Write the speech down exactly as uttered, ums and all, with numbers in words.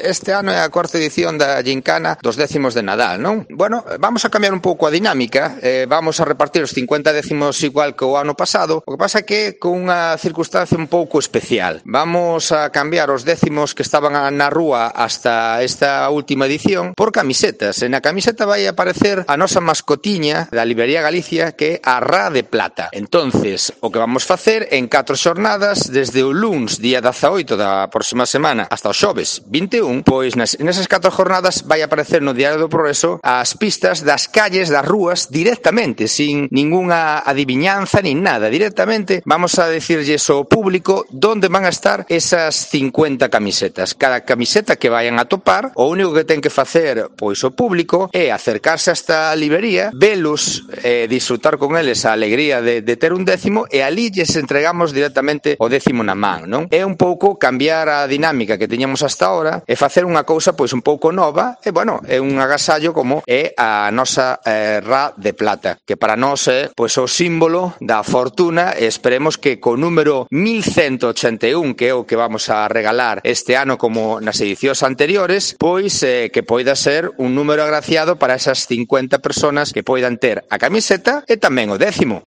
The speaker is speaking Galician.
Este ano é a cuarta edición da Gincana dos décimos de Nadal, non? Bueno, vamos a cambiar un pouco a dinámica, eh, vamos a repartir os cincuenta décimos igual que o ano pasado, o que pasa que con unha circunstancia un pouco especial. Vamos a cambiar os décimos que estaban na rúa hasta esta última edición por camisetas. E na camiseta vai aparecer a nosa mascotiña da Librería Galicia, que é a Ra de Plata. Entonces, o que vamos facer en catro xornadas, desde o luns, día dezaoito da próxima semana, hasta o xoves, vinte e un, pois nas, nesas catro jornadas vai aparecer no Diario do Progreso as pistas das calles, das rúas, directamente, sin ningunha adiviñanza nin nada, directamente vamos a decirlles ao público donde van a estar esas cincuenta camisetas. Cada camiseta que vayan a topar, o único que ten que facer pois o público é acercarse hasta a librería, velos, eh, disfrutar con eles a alegría de, de ter un décimo, e ali lles entregamos directamente o décimo na man, non? É un pouco cambiar a dinámica que teñamos hasta ahora e facer unha cousa pois un pouco nova, e bueno, é un agasallo como é a nosa eh, Ra de Plata, que para nós é pois o símbolo da fortuna, e esperemos que co número mil ciento ochenta e un, que é o que vamos a regalar este ano como nas edicións anteriores, pois eh, que poida ser un número agraciado para esas cincuenta personas que poidan ter a camiseta e tamén o décimo.